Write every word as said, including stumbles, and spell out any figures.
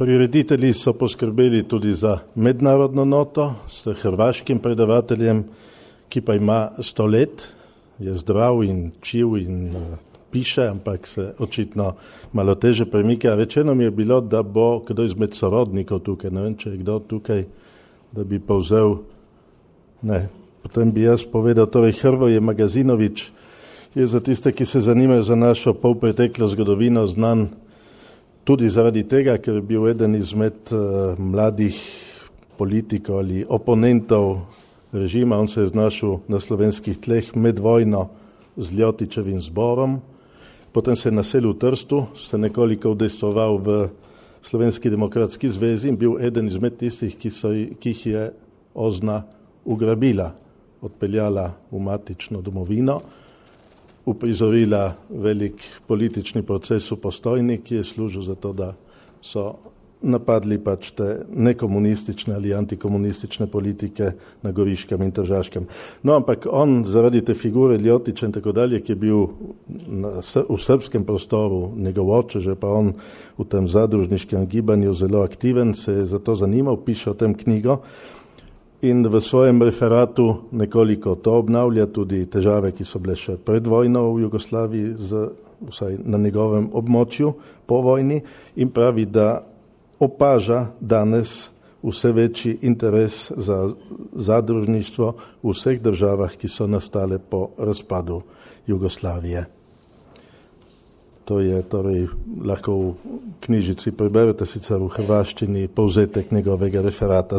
Prireditelji so poskrbeli tudi za mednarodno noto s hrvaškim predavateljem, ki pa ima sto let, je zdrav in čiv in uh, piše, ampak se očitno malo teže premika. Rečeno mi je bilo, da bo kdo izmed sorodnikov tukaj, ne vem, če je kdo tukaj, da bi povzel, ne, potem bi jaz povedal, torej Hrvoje Magazinović je za tiste, ki se zanimajo za našo polpreteklo zgodovino, znan tudi zaradi tega, ker je bil eden izmed uh, mladih politikov ali oponentov režima. On se je znašel na slovenskih tleh med vojno z Ljotićevim zborom, potem se je naselil v Trstu, se nekoliko udejstvoval v Slovenski demokratski zvezi in bil eden izmed tistih, ki, so, ki jih je Ozna ugrabila, odpeljala v matično domovino, uprizorila velik politični proces v Postojni, ki je služil za to, da so napadli pač te nekomunistične ali antikomunistične politike na Goriškem in Tržaškem. No, ampak on zaradi te figure Ljotića in tako dalje, ki je bil na, v srpskem prostoru, njegov oče, že pa on v tem zadružniškem gibanju zelo aktiven, se je za to zanimal, piše o tem knjigo in v svojem referatu nekoliko to obnavlja, tudi težave, ki so bile še pred vojno v Jugoslaviji, z, vsaj na njegovem območju po vojni, in pravi, da opaža danes vse večji interes za zadružništvo v vseh državah, ki so nastale po razpadu Jugoslavije. To je torej lahko v knjižici preberete, sicer v hrvaščini, povzetek njegovega referata.